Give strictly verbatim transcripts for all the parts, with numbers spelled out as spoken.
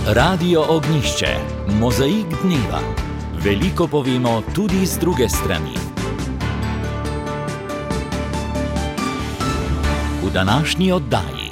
Radio Ognjišče, mozaik dneva. Veliko povemo tudi z druge strani. V današnji oddaji.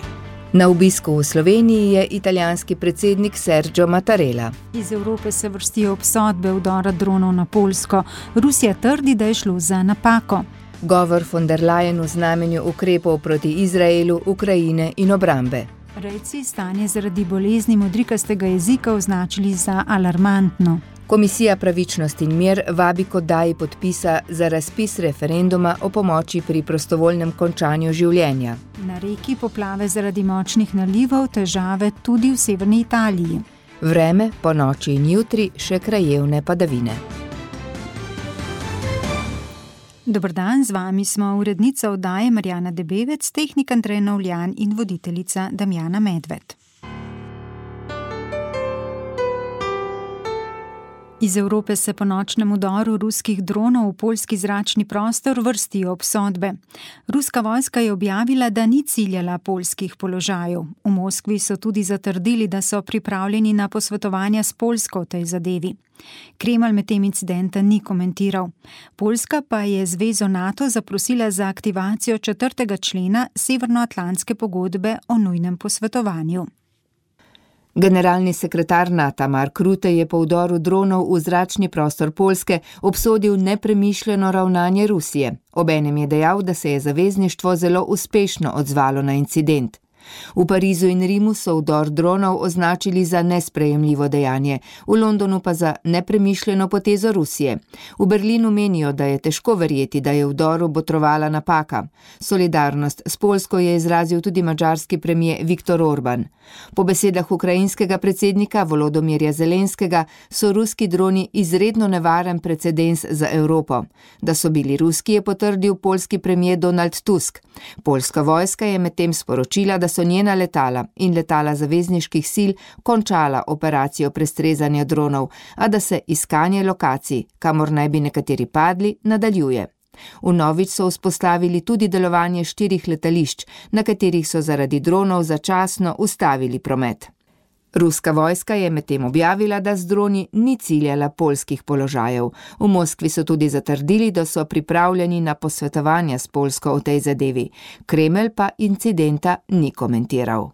Na obisku v Sloveniji je italijanski predsednik Sergio Mattarella. Iz Evrope se vrstijo obsodbe vdora dronov na Poljsko. Rusija trdi, da je šlo za napako. Govor von der Leyen v znamenju ukrepov proti Izraelu, Ukrajine in obrambe. Rejci stanje zaradi bolezni modrikastega jezika označili za alarmantno. Komisija Pravičnost in mir vabi k oddaji podpisa za razpis referenduma o pomoči pri prostovoljnem končanju življenja. Na reki poplave zaradi močnih nalivov, težave tudi v severni Italiji. Vreme, po noči in jutri še krajevne padavine. Dober dan, z vami smo urednica oddaje Marjana Debevec, tehnik Andrej Novljan in voditeljica Damjana Medved. Iz Evrope se po nočnem vdoru ruskih dronov v poljski zračni prostor vrstijo obsodbe. Ruska vojska je objavila, da ni ciljala poljskih položajev. V Moskvi so tudi zatrdili, da so pripravljeni na posvetovanja s Poljsko v tej zadevi. Kremelj med tem incidenta ni komentiral. Poljska pa je zvezo NATO zaprosila za aktivacijo četrtega člena Severnoatlantske pogodbe o nujnem posvetovanju. Generalni sekretar NATO Mark Rutte je po vdoru dronov v zračni prostor Poljske obsodil nepremišljeno ravnanje Rusije. Obenem je dejal, da se je zavezništvo zelo uspešno odzvalo na incident. V Parizu in Rimu so vdor dronov označili za nesprejemljivo dejanje, v Londonu pa za nepremišljeno potezo Rusije. V Berlinu menijo, da je težko verjeti, da je vdoru botrovala napaka. Solidarnost s Poljsko je izrazil tudi madžarski premier Viktor Orban. Po besedah ukrajinskega predsednika Volodomirja Zelenskega so ruski droni izredno nevaren precedens za Evropo. Da so bili ruski, je potrdil poljski premier Donald Tusk. Poljska vojska je medtem sporočila, da so njena letala in letala zavezniških sil končala operacijo prestrezanja dronov, a da se iskanje lokacij, kamor naj bi nekateri padli, nadaljuje. Vnovič so vzpostavili tudi delovanje štirih letališč, na katerih so zaradi dronov začasno ustavili promet. Ruska vojska je medtem objavila, da z droni ni ciljala poljskih položajev. V Moskvi so tudi zatrdili, da so pripravljeni na posvetovanja s Poljsko v tej zadevi. Kremelj pa incidenta ni komentiral.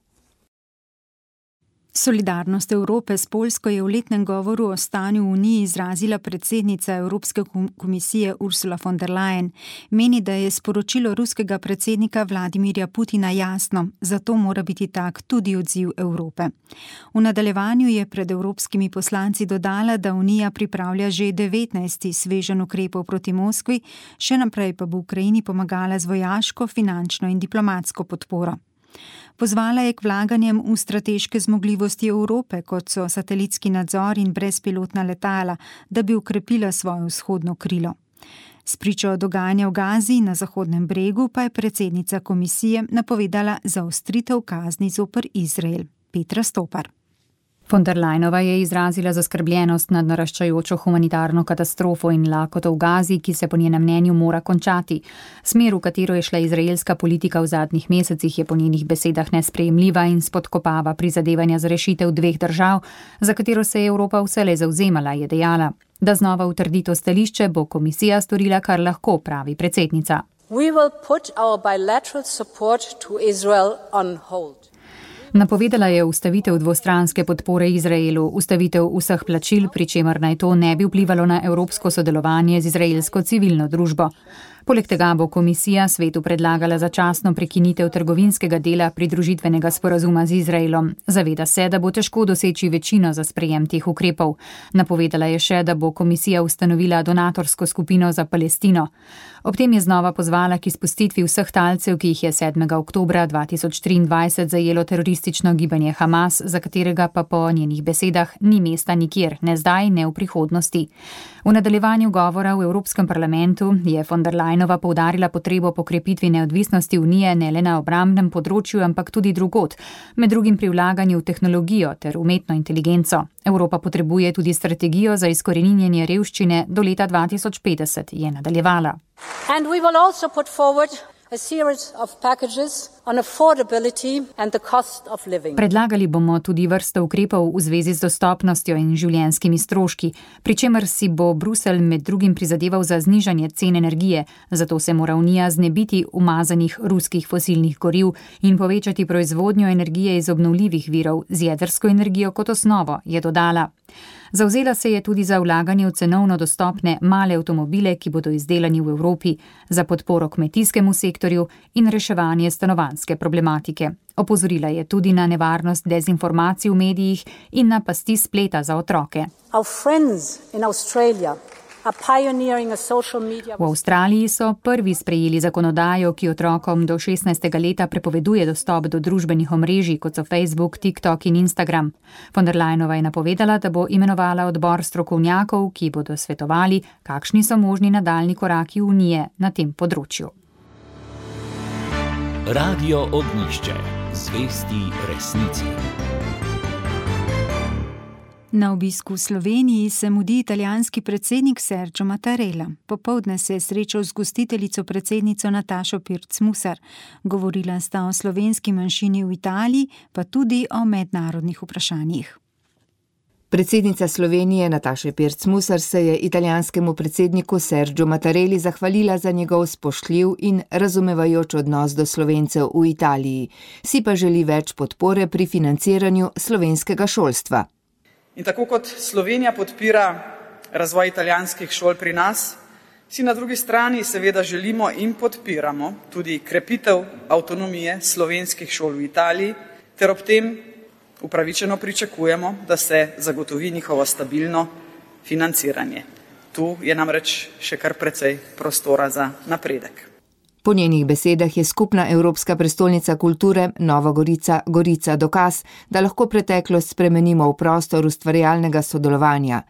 Solidarnost Evrope s Poljsko je v letnem govoru o stanju v Uniji izrazila predsednica Evropske komisije Ursula von der Leyen. Meni, da je sporočilo ruskega predsednika Vladimirja Putina jasno, zato mora biti tak tudi odziv Evrope. V nadaljevanju je pred evropskimi poslanci dodala, da Unija pripravlja že devetnajsti sveženj ukrepov proti Moskvi, še naprej pa bo Ukrajini pomagala z vojaško, finančno in diplomatsko podporo. Pozvala je k vlaganjem v strateške zmogljivosti Evrope, kot so satelitski nadzor in brezpilotna letala, da bi ukrepila svojo vzhodno krilo. Spričo dogajanja v Gazi na Zahodnem bregu pa je predsednica komisije napovedala zaostritev kazni zoper Izrael. Petra Stopar. Von der Leyenova je izrazila zaskrbljenost nad naraščajočo humanitarno katastrofo in lakoto v Gazi, ki se po njenem mnenju mora končati. Smer, v katero je šla izraelska politika v zadnjih mesecih, je po njenih besedah nesprejemljiva in spodkopava prizadevanja za rešitev dveh držav, za katero se je Evropa vselej zavzemala, je dejala. Da znova utrdi to stališče, bo komisija storila, kar lahko, pravi predsednica. We will put our bilateral support to Israel on hold. Napovedala je ustavitev dvostranske podpore Izraelu, ustavitev vseh plačil, pri čemer naj to ne bi vplivalo na evropsko sodelovanje z izraelsko civilno družbo. Poleg tega bo komisija svetu predlagala začasno prekinitev trgovinskega dela pridružitvenega sporazuma z Izraelom. Zaveda se, da bo težko doseči večino za sprejem teh ukrepov. Napovedala je še, da bo komisija ustanovila donatorsko skupino za Palestino. Ob tem je znova pozvala k izpustitvi vseh talcev, ki jih je sedmega oktobra dva tisoč triindvajset zajelo teroristično gibanje Hamas, za katerega pa po njenih besedah ni mesta nikjer, ne zdaj, ne v prihodnosti. V nadaljevanju govora v Evropskem parlamentu je von der Leyenova poudarila potrebo po krepitvi neodvisnosti Unije ne le na obrambnem področju, ampak tudi drugod, med drugim pri vlaganju v tehnologijo ter umetno inteligenco. Evropa potrebuje tudi strategijo za izkoreninjenje revščine do leta dva tisoč petdeset, je nadaljevala. And we will also put forward a series of packages on affordability and the cost of living. Predlagali bomo tudi vrsto ukrepov v zvezi z dostopnostjo in življenjskimi stroški, pri čemer si bo Bruselj med drugim prizadeval za znižanje cen energije, zato se mora Unija znebiti umazanih ruskih fosilnih goriv in povečati proizvodnjo energije iz obnovljivih virov z jedrsko energijo kot osnovo, je dodala. Zavzela se je tudi za vlaganje v cenovno dostopne male avtomobile, ki bodo izdelani v Evropi, za podporo kmetijskemu sektorju in reševanje stanovanjske problematike. Opozorila je tudi na nevarnost dezinformacij v medijih in na pasti spleta za otroke. Our friends in Australia are pioneering a social media. V Avstraliji so prvi sprejeli zakonodajo, ki otrokom do šestnajstega leta prepoveduje dostop do družbenih omrežij, kot so Facebook, TikTok in Instagram. Von der Leyenova je napovedala, da bo imenovala odbor strokovnjakov, ki bodo svetovali, kakšni so možni nadaljni koraki Unije na tem področju. Radio Ognjišče. Zvesti resnici. Na obisku v Sloveniji se mudi italijanski predsednik Sergio Mattarella. Popoldne se je srečal z gostiteljico predsednico Natašo Pirc Musar. Govorila sta o slovenski manjšini v Italiji, pa tudi o mednarodnih vprašanjih. Predsednica Slovenije Nataša Pirc Musar se je italijanskemu predsedniku Sergio Mattarelli zahvalila za njegov spoštljiv in razumevajoč odnos do Slovencev v Italiji. Si pa želi več podpore pri financiranju slovenskega šolstva. In tako kot Slovenija podpira razvoj italijanskih šol pri nas, si na drugi strani seveda želimo in podpiramo tudi krepitev avtonomije slovenskih šol v Italiji, ter ob tem upravičeno pričakujemo, da se zagotovi njihovo stabilno financiranje. Tu je namreč še kar precej prostora za napredek. Po njenih besedah je skupna Evropska prestolnica kulture Nova Gorica Gorica dokaz, da lahko preteklost spremenimo v prostor ustvarjalnega sodelovanja.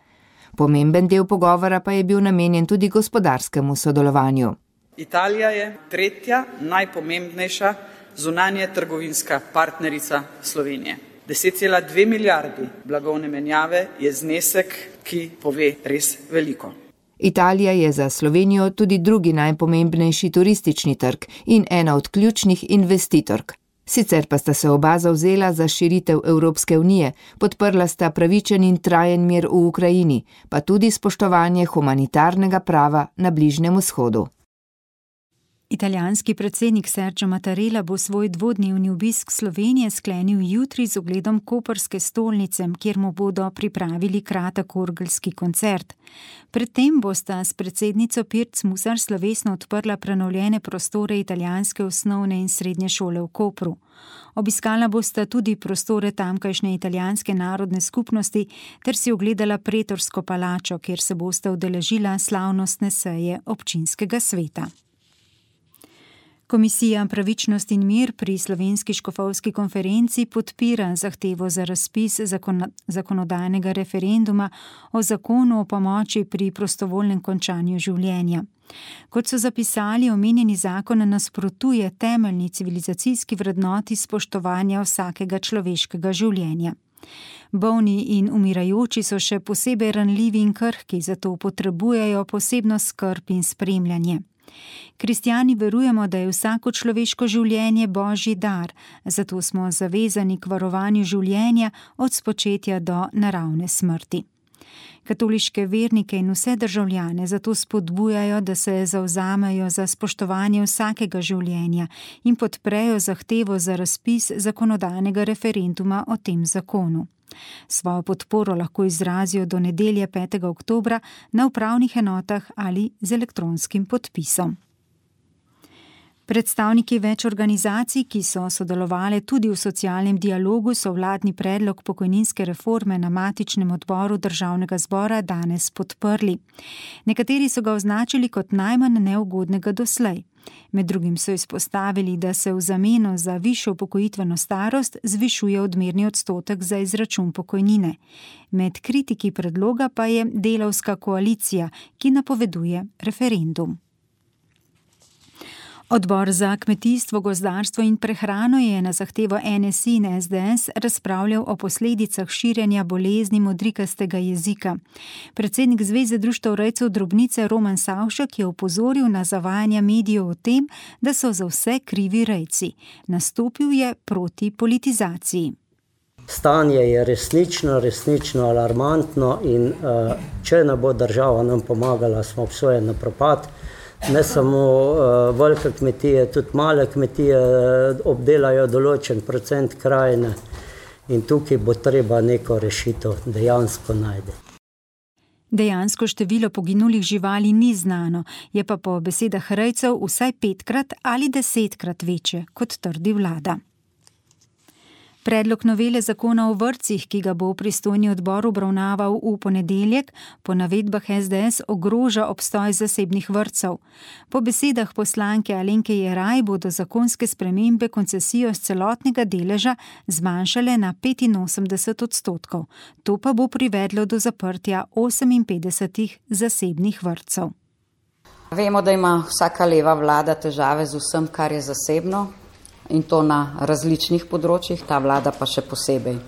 Pomemben del pogovora pa je bil namenjen tudi gospodarskemu sodelovanju. Italija je tretja najpomembnejša zunanje trgovinska partnerica Slovenije. deset cela dve milijardi blagovne menjave je znesek, ki pove res veliko. Italija je za Slovenijo tudi drugi najpomembnejši turistični trg in ena od ključnih investitork. Sicer pa sta se oba zavzela za širitev Evropske unije, podprla sta pravičen in trajen mir v Ukrajini, pa tudi spoštovanje humanitarnega prava na Bližnjem vzhodu. Italijanski predsednik Sergio Mattarella bo svoj dvodnevni obisk Slovenije sklenil jutri z ogledom koprske stolnice, kjer mu bodo pripravili kratek orgelski koncert. Predtem bosta s predsednico Pirc Musar slovesno odprla prenovljene prostore italijanske osnovne in srednje šole v Kopru. Obiskala bosta tudi prostore tamkajšnje italijanske narodne skupnosti ter si ogledala pretorsko palačo, kjer se bosta udeležila slavnostne seje občinskega sveta. Komisija Pravičnost in mir pri Slovenski škofovski konferenci podpira zahtevo za razpis zakonodajnega referenduma o zakonu o pomoči pri prostovoljnem končanju življenja. Kot so zapisali, omenjeni zakon nasprotuje temeljni civilizacijski vrednoti spoštovanja vsakega človeškega življenja. Bolni in umirajoči so še posebej ranljivi in krhki, zato potrebujejo posebno skrb in spremljanje. Kristjani verujemo, da je vsako človeško življenje božji dar, zato smo zavezani k varovanju življenja od spočetja do naravne smrti. Katoliške vernike in vse državljane zato spodbujajo, da se zavzamejo za spoštovanje vsakega življenja in podprejo zahtevo za razpis zakonodajnega referenduma o tem zakonu. Svojo podporo lahko izrazijo do nedelje petega oktobra na upravnih enotah ali z elektronskim podpisom. Predstavniki več organizacij, ki so sodelovali tudi v socialnem dialogu, so vladni predlog pokojninske reforme na matičnem odboru Državnega zbora danes podprli. Nekateri so ga označili kot najmanj neugodnega doslej. Med drugim so izpostavili, da se v zameno za višjo upokojitveno starost zvišuje odmerni odstotek za izračun pokojnine. Med kritiki predloga pa je delavska koalicija, ki napoveduje referendum. Odbor za kmetijstvo, gozdarstvo in prehrano je na zahtevo N S I in S D S razpravljal o posledicah širjenja bolezni modrikastega jezika. Predsednik Zveze društev rejcev drobnice Roman Savšek je opozoril na zavajanja medijev o tem, da so za vse krivi rejci. Nastopil je proti politizaciji. Stanje je resnično, resnično alarmantno in uh, če ne bo država nam pomagala, smo obsojeni na propad. Ne samo uh, velike kmetije, tudi male kmetije obdelajo določen procent krajine in tukaj bo treba neko rešitev dejansko najti. Dejansko število poginulih živali ni znano, je pa po besedah rejcev vsaj petkrat ali desetkrat večje, kot trdi vlada. Predlog novele zakona o vrtcih, ki ga bo pristojni odbor obravnaval v ponedeljek, po navedbah S D S ogroža obstoj zasebnih vrtcev. Po besedah poslanke Alenke Jeraj bodo zakonske spremembe koncesijo z celotnega deleža zmanjšale na petinosemdeset odstotkov. To pa bo privedlo do zaprtja oseminpetdesetih zasebnih vrtcev. Vemo, da ima vsaka leva vlada težave z vsem, kar je zasebno. In to na različnih področjih, ta vlada pa še posebej.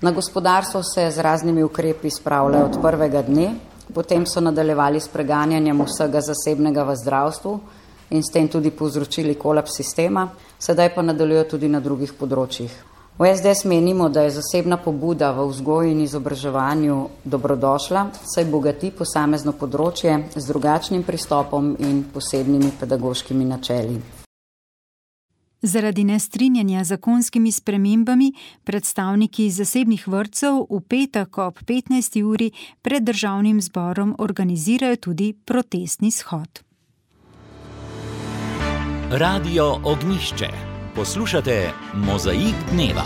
Na gospodarstvo se z raznimi ukrepi spravljajo od prvega dne, potem so nadaljevali s preganjanjem vsega zasebnega v zdravstvu in s tem tudi povzročili kolaps sistema, sedaj pa nadaljujejo tudi na drugih področjih. V S D S menimo, da je zasebna pobuda v vzgoji in izobraževanju dobrodošla, saj bogati posamezno področje z drugačnim pristopom in posebnimi pedagoškimi načeli. Zaradi nestrinjanja z zakonskimi spremembami predstavniki zasebnih vrtcev v petek ob petnajsti uri pred državnim zborom organizirajo tudi protestni shod. Radio Ognjišče. Poslušate Mozaik dneva.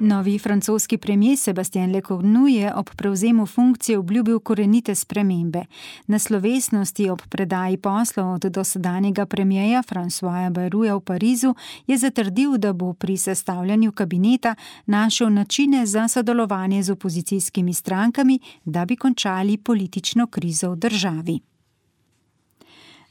Novi francoski premier Sébastien Lecornu je ob prevzemu funkcije obljubil korenite spremembe. Na slovesnosti ob predaji poslov od dosedanjega premierja Françoisa Bayrouta v Parizu je zatrdil, da bo pri sestavljanju kabineta našel načine za sodelovanje z opozicijskimi strankami, da bi končali politično krizo v državi.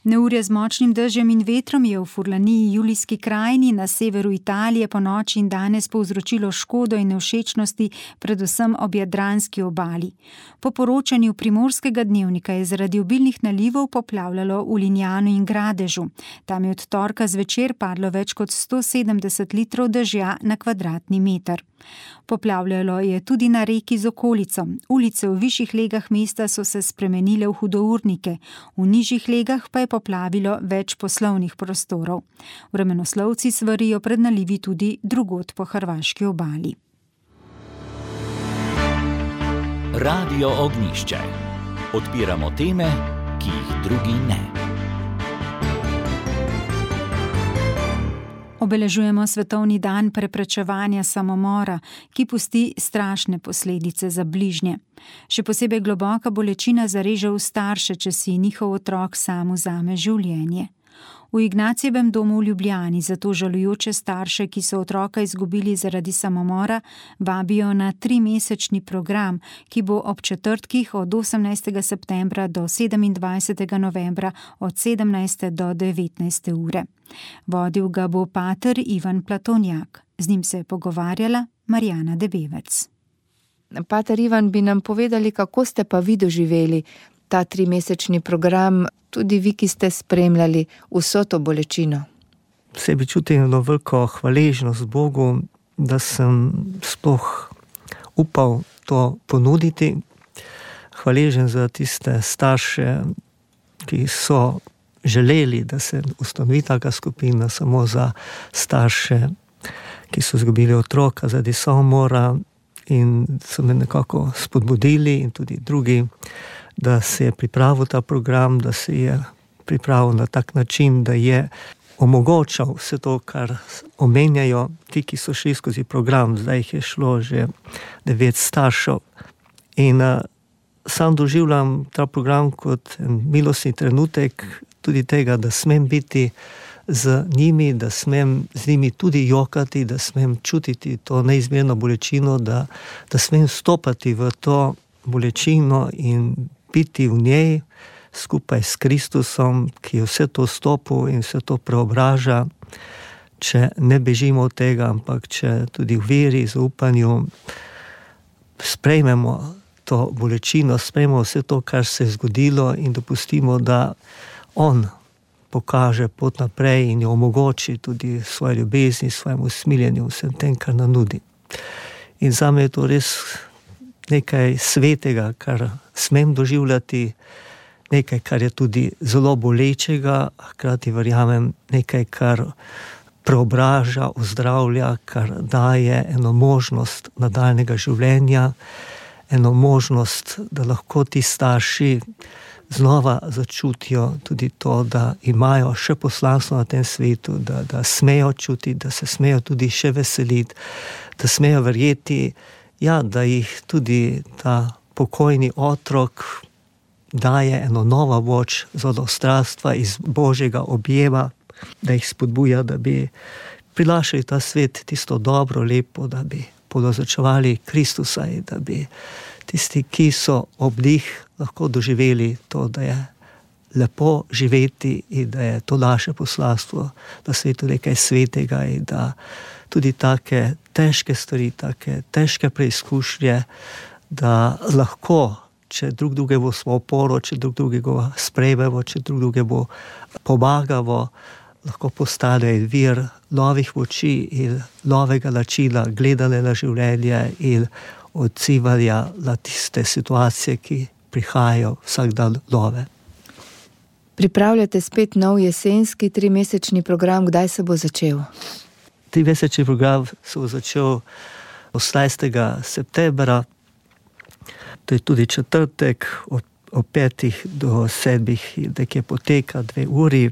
Neurje z močnim dežjem in vetrom je v Furlaniji Julijski krajini na severu Italije po noči in danes povzročilo škodo in nevšečnosti predvsem ob jadranski obali. Po poročanju Primorskega dnevnika je zaradi obilnih nalivov poplavljalo v Linjanu in Gradežu. Tam je od torka zvečer padlo več kot sto sedemdeset litrov dežja na kvadratni meter. Poplavljalo je tudi na reki z okolico. Ulice v višjih legah mesta so se spremenile v hudournike, v nižjih legah pa je poplavilo več poslovnih prostorov. Vremenoslovci svarijo pred nalivi tudi drugod po hrvaški obali. Radio Ognjišče. Odpiramo teme, ki jih drugi ne. Obeležujemo svetovni dan preprečevanja samomora, ki pusti strašne posledice za bližnje. Še posebej globoka bolečina zareže v starše, če si njihov otrok sam vzame življenje. V Ignacijevem domu v Ljubljani zato žalujoče starše, ki so otroka izgubili zaradi samomora, vabijo na trimesečni program, ki bo ob četrtkih od osemnajstega septembra do sedemindvajsetega novembra od sedemnajste do devetnajste ure. Vodil ga bo pater Ivan Platonjak. Z njim se je pogovarjala Marjana Debevec. Pater Ivan, bi nam povedali, kako ste pa vi doživeli ta trimesečni program, tudi vi, ki ste spremljali vso to bolečino? V sebi čutim eno veliko hvaležnost Bogu, da sem sploh upal to ponuditi. Hvaležen za tiste starše, ki so želeli, da se ustanovi taka skupina samo za starše, ki so izgubili otroka zaradi samomora in so me nekako spodbudili in tudi drugi, da se je pripravil ta program, da se je pripravil na tak način, da je omogočal vse to, kar omenjajo ti, ki so šli skozi program. Zdaj jih je šlo že devet staršev. In uh, sam doživljam ta program kot milostni trenutek tudi tega, da smem biti z njimi, da smem z njimi tudi jokati, da smem čutiti to neizmerno bolečino, da, da smem stopati v to bolečino in biti v njej, skupaj s Kristusom, ki je vse to stopil in vse to preobraža, če ne bežimo od tega, ampak če tudi v veri, zaupanju sprejmemo to bolečino, sprejmemo vse to, kar se je zgodilo in dopustimo, da on pokaže pot naprej in jo omogoči tudi svoje ljubezni, svojemu usmiljenju, vsem tem, kar nam nudi. In zame je to res nekaj svetega, kar smem doživljati, nekaj, kar je tudi zelo bolečega, hkrati verjamem nekaj, kar preobraža, ozdravlja, kar daje eno možnost nadaljnega življenja, eno možnost, da lahko ti starši znova začutijo tudi to, da imajo še poslanstvo na tem svetu, da, da smejo čutiti, da se smejo tudi še veseliti, da smejo verjeti, ja, da jih tudi ta pokojni otrok daje eno novo moč zodostrstva iz Božjega objema, da jih spodbuja, da bi prilašali ta svet tisto dobro, lepo, da bi podozočevali Kristusa in da bi tisti, ki so ob njih, lahko doživeli to, da je lepo živeti in da je to naše poslanstvo na svetu nekaj svetega in da tudi take težke stvari, take težke preizkušnje, da lahko, če drug drugemu smo oporo, če drug drugega sprejmemo, če drug drugemu pomagamo, lahko postane vir novih moči in novega načina gledanja na življenje in odzivanja na tiste situacije, ki prihajajo vsak dan nove. Pripravljate spet nov jesenski trimesečni program, kdaj se bo začel? Trimesečni program se bo začel osemnajstega septembra, to je tudi četrtek, od, od petih do sedmih, nekje poteka dve uri,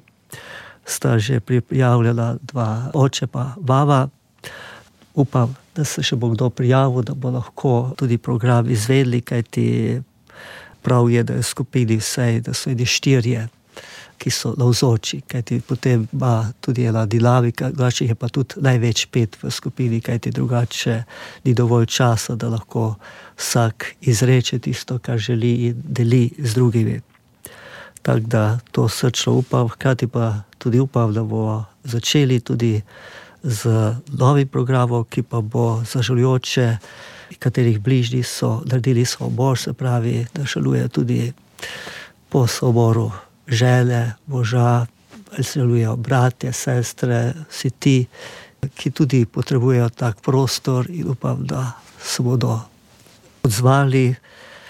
sta že prijavljala dva oče pa baba. Upam, da se še bo kdo prijavil, da bo lahko tudi program izvedli, kajti prav je, da je skupini vsej, da so eni štirje, ki so navzoči, kajti potem ima tudi ena dinamika, drugače je pa tudi največ pet v skupini, kajti drugače ni dovolj časa, da lahko vsak izreče tisto, kar želi in deli z drugimi. Tako da to srčno upam, hkrati pa tudi upam, da bo začeli tudi z novim programom, ki pa bo zažalujoče, katerih bližnji so naredili samomor, se pravi, da žaluje tudi po samomoru žene, moža, ali se žalujejo bratje, sestre, vsi ti, ki tudi potrebujejo tak prostor in upam, da se bodo odzvali.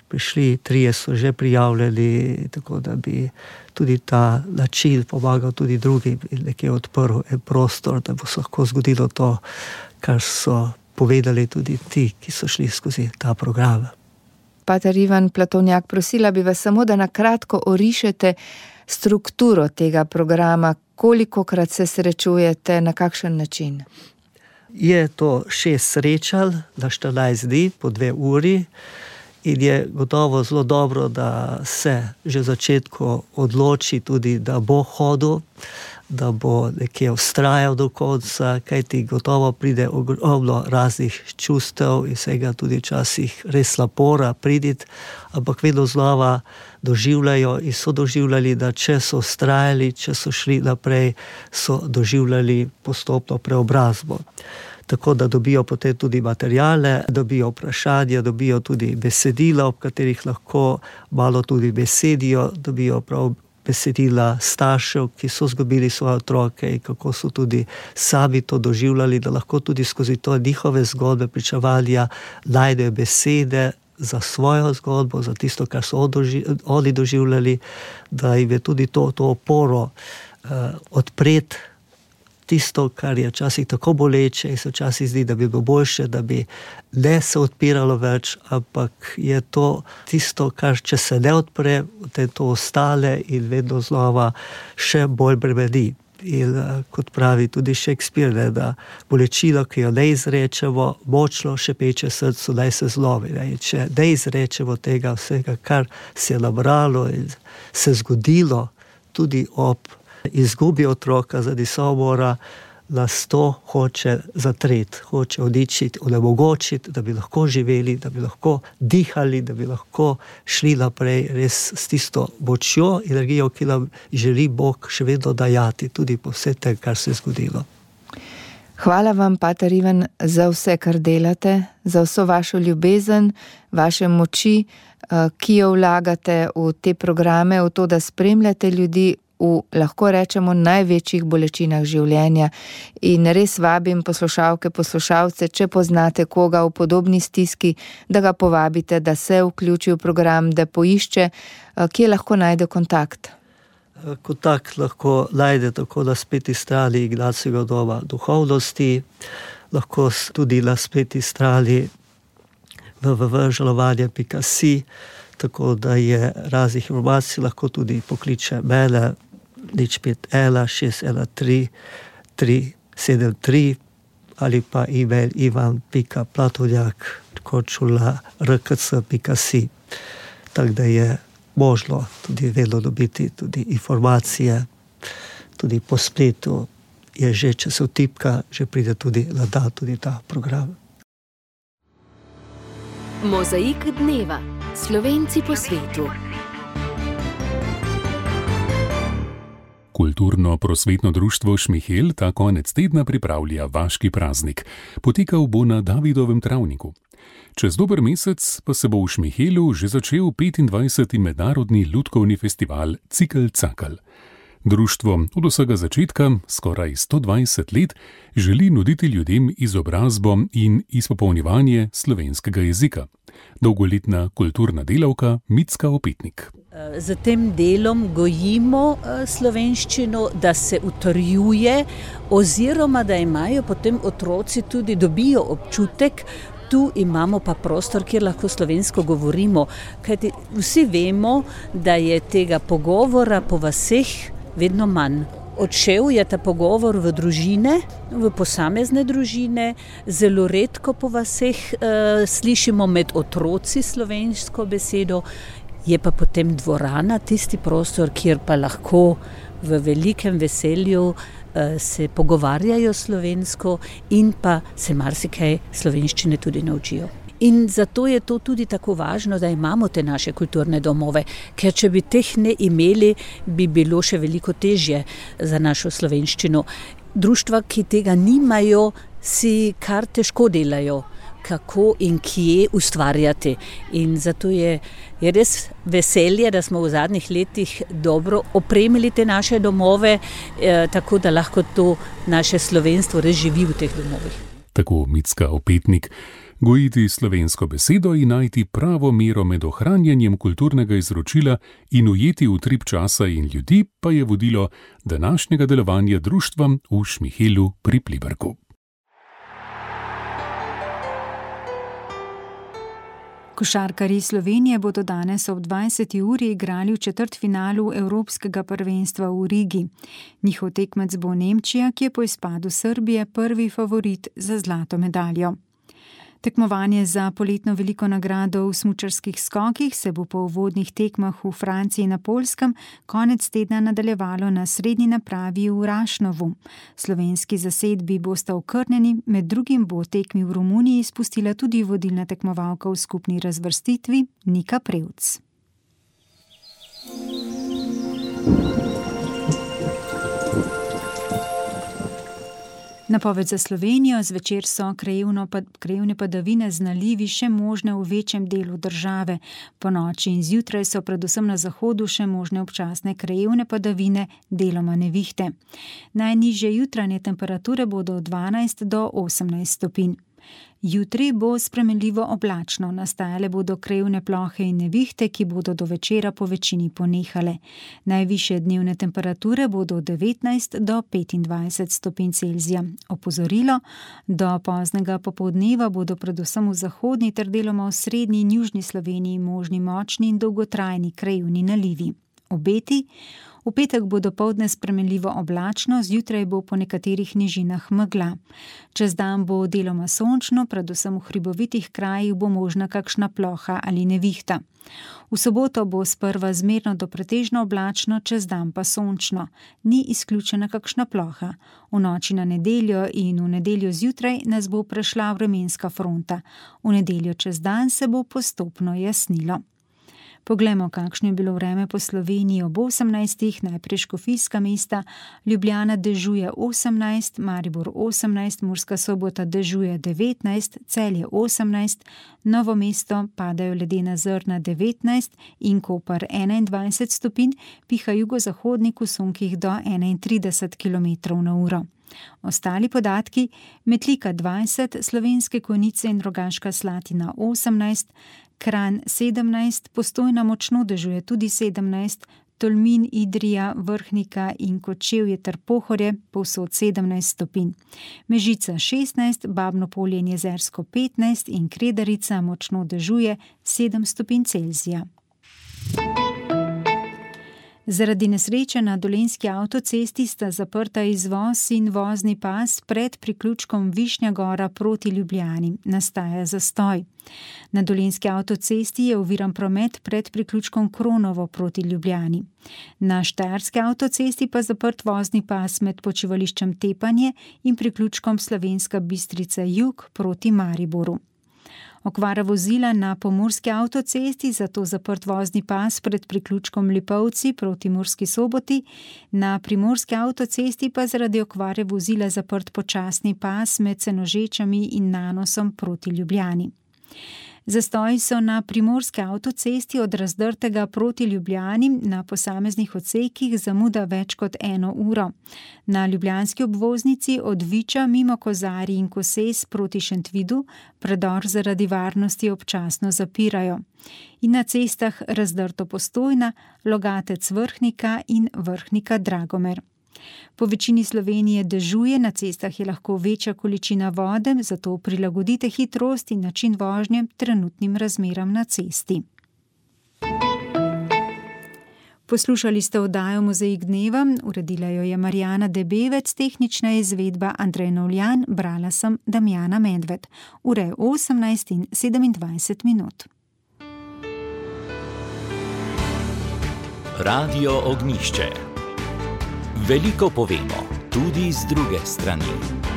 Prišli, trije so že prijavljali, tako da bi tudi ta način pomagal tudi drugim in nekje odprl en prostor, da bo se lahko zgodilo to, kar so povedali tudi ti, ki so šli skozi ta program. Pater Ivan Platonjak, prosila bi vas samo, da na kratko orišete strukturo tega programa, kolikokrat se srečujete, na kakšen način? Je to šest srečal na štirinajst dni po dve uri. In je gotovo zelo dobro, da se že v začetku odloči tudi, da bo hodil, da bo nekje vztrajal do konca, kajti gotovo pride ogromno raznih čustev in vsega tudi včasih res napora priditi, ampak vedno znova doživljajo in so doživljali, da če so vztrajali, če so šli naprej, so doživljali postopno preobrazbo. Tako da dobijo potem tudi materijale, dobijo vprašanja, dobijo tudi besedila, ob katerih lahko malo tudi besedijo, dobijo prav besedila staršev, ki so izgubili svoje otroke in kako so tudi sami to doživljali, da lahko tudi skozi to njihove zgodbe pričevanja najdejo besede za svojo zgodbo, za tisto, kar so oni doživljali, da jim je tudi to, to oporo uh, odpreti tisto, kar je včasih tako boleče in se včasih zdi, da bi bilo boljše, da bi ne se odpiralo več, ampak je to tisto, kar če se ne odpre, potem to ostale in vedno znova še bolj bremeni. In kot pravi tudi Shakespeare, da bolečino, ki jo ne izrečemo, močno šepeče srcu, naj se zlomi. In če ne izrečemo tega vsega, kar se je nabralo in se zgodilo tudi ob izgubi otroka zaradi samomora, nas to hoče zatreti, hoče odičiti, onemogočiti, da bi lahko živeli, da bi lahko dihali, da bi lahko šli naprej res s tisto močjo, energijo, ki nam želi Bog še vedno dajati, tudi po vse tem, kar se je zgodilo. Hvala vam, pater Ivan, za vse, kar delate, za vso vašo ljubezen, vaše moči, ki jo vlagate v te programe, v to, da spremljate ljudi v, lahko rečemo, največjih bolečinah življenja. In res vabim poslušalke, poslušalce, če poznate koga v podobni stiski, da ga povabite, da se vključi v program, da poišče, kje lahko najde kontakt. Kontakt lahko najde tako na spletni strani Ignacijevega doma duhovnosti, lahko tudi na spletni strani w w w pika žalovanje pika si, tako da je raznih informacij, lahko tudi pokliče mene nič pet ena šest ena tri tri sedem tri ali pa e-mail ivan pika platonjak končula r k c pika si. Tako da je možno tudi vedno dobiti tudi informacije, tudi po spletu je že, če se vtipka, že pride tudi na dan tudi ta program. Mozaik dneva. Slovenci po svetu. Kulturno-prosvetno društvo Šmihel ta konec tedna pripravlja vaški praznik. Potekal bo na Davidovem travniku. Čez dober mesec pa se bo v Šmihelu že začel petindvajseti mednarodni lutkovni festival Cikl Cakl. Društvo od vsega začetka, skoraj sto dvajset let, želi nuditi ljudem izobrazbo in izpopolnjevanje slovenskega jezika. Dolgoletna kulturna delavka Micka Opetnik. Z tem delom gojimo slovenščino, da se utrjuje oziroma da imajo potem otroci tudi dobijo občutek, tu imamo pa prostor, kjer lahko slovensko govorimo. Kajti vsi vemo, da je tega pogovora po vaseh vedno manj. Odšel je ta pogovor v družine, v posamezne družine, zelo redko po vaseh e, slišimo med otroci slovensko besedo, je pa potem dvorana tisti prostor, kjer pa lahko v velikem veselju e, se pogovarjajo slovensko in pa se marsikaj slovenščine tudi naučijo. In zato je to tudi tako važno, da imamo te naše kulturne domove, ker če bi teh ne imeli, bi bilo še veliko težje za našo slovenščino. Društva, ki tega nimajo, si kar težko delajo, kako in kje ustvarjati. In zato je, je res veselje, da smo v zadnjih letih dobro opremili te naše domove, eh, tako da lahko to naše slovenstvo res živi v teh domovih. Tako Micka Opetnik. Gojiti slovensko besedo in najti pravo mero med ohranjanjem kulturnega izročila in ujeti utrip časa in ljudi pa je vodilo današnjega delovanja društva v Šmihelu pri Pliberku. Košarkarji Slovenije bodo danes ob dvajseti uri igrali v četrtfinalu Evropskega prvenstva v Rigi. Njihov tekmec bo Nemčija, ki je po izpadu Srbije prvi favorit za zlato medaljo. Tekmovanje za poletno veliko nagrado v smučarskih skokih se bo po uvodnih tekmah v Franciji in na Poljskem konec tedna nadaljevalo na srednji napravi v Rašnovu. Slovenski zasedbi bosta okrnjeni, med drugim bo tekmi v Romuniji spustila tudi vodilna tekmovalka v skupni razvrstitvi Nika Prevc. Napoved za Slovenijo: zvečer so krajevne padavine z nalivi še možne v večjem delu države. Po noči in zjutraj so predvsem na zahodu še možne občasne krajevne padavine, deloma nevihte. Najnižje jutranje temperature bodo od dvanajst do osemnajst stopinj. Jutri bo spremenljivo oblačno, nastajale bodo krajevne plohe in nevihte, ki bodo do večera po večini ponehale. Najvišje dnevne temperature bodo od devetnajst do petindvajset stopinj Celzija. Opozorilo: do poznega popoldneva bodo predvsem v zahodni ter deloma v srednji in južni Sloveniji možni močni in dolgotrajni krajevni nalivi. Obeti: V petek bo dopoldne spremenljivo oblačno, zjutraj bo po nekaterih nižinah megla. Čez dan bo deloma sončno, predvsem v hribovitih krajih bo možna kakšna ploha ali nevihta. V soboto bo sprva zmerno do pretežno oblačno, čez dan pa sončno. Ni izključena kakšna ploha. V noči na nedeljo in v nedeljo zjutraj nas bo prešla vremenska fronta. V nedeljo čez dan se bo postopno jasnilo. Poglejmo, kakšno je bilo vreme po Sloveniji ob osemnajstih, najprej Škofijska mesta, Ljubljana dežuje osemnajst, Maribor osemnajst, Murska Sobota dežuje devetnajst, Celje osemnajst, Novo mesto padajo ledena zrna devetnajst in Koper enaindvajset stopinj, piha jugozahodnik v sunkih do enaintrideset kilometrov na uro. Ostali podatki: Metlika dvajset, Slovenske Konjice in Rogaška Slatina osemnajst, Kranj sedemnajst, Postojna močno dežuje tudi sedemnajst, Tolmin, Idrija, Vrhnika in Kočevje ter Pohorje povsod sedemnajst stopinj. Mežica šestnajst, Babno Polje in Jezersko petnajst in Kredarica močno dežuje sedem stopinj Celzija. Zaradi nesreče na Dolenjski avtocesti sta zaprta izvoz in vozni pas pred priključkom Višnja Gora proti Ljubljani. Nastaja zastoj. Na Dolenjski avtocesti je oviran promet pred priključkom Kronovo proti Ljubljani. Na Štajerski avtocesti pa zaprt vozni pas med počivališčem Tepanje in priključkom Slovenska Bistrica jug proti Mariboru. Okvara vozila na Pomurski avtocesti, zato zaprt vozni pas pred priključkom Lipovci proti Murski Soboti, na Primorski avtocesti pa zaradi okvare vozila zaprt počasni pas med Senožečami in Nanosom proti Ljubljani. Zastoji so na Primorski avtocesti od Razdrtega proti Ljubljani na posameznih odsekih zamuda več kot eno uro. Na ljubljanski obvoznici od Viča mimo Kozarij in Koses proti Šentvidu predor zaradi varnosti občasno zapirajo. In na cestah Razdrto Postojna, Logatec Vrhnika in Vrhnika Dragomer. Po večini Slovenije dežuje, na cestah je lahko večja količina vode, zato prilagodite hitrost in način vožnje trenutnim razmeram na cesti. Poslušali ste oddajo Mozaik dneva, uredila jo je Marjana Debevec, tehnična izvedba Andrej Novljan, brala sem Damjana Medved. Ura je osemnajst in sedemindvajset minut. Radio Ognjišče. Veliko povemo, tudi z druge strani.